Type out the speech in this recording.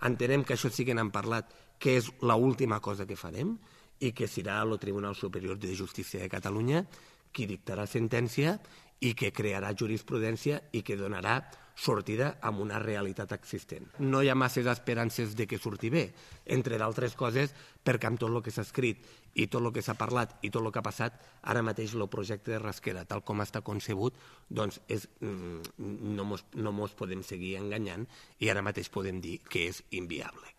Entenem que això sí que n'han parlat, que és l'última cosa que farem i que serà el Tribunal Superior de Justícia de Catalunya qui dictarà sentència i que crearà jurisprudència i que donarà sortida a una realitat existent. No hi ha masses esperances de que surti bé, entre d'altres coses perquè amb tot el que s'ha escrit i tot el que s'ha parlat i tot el que ha passat, ara mateix el projecte de Rasquera, tal com està concebut, doncs no mos podem seguir enganyant i ara mateix podem dir que és inviable.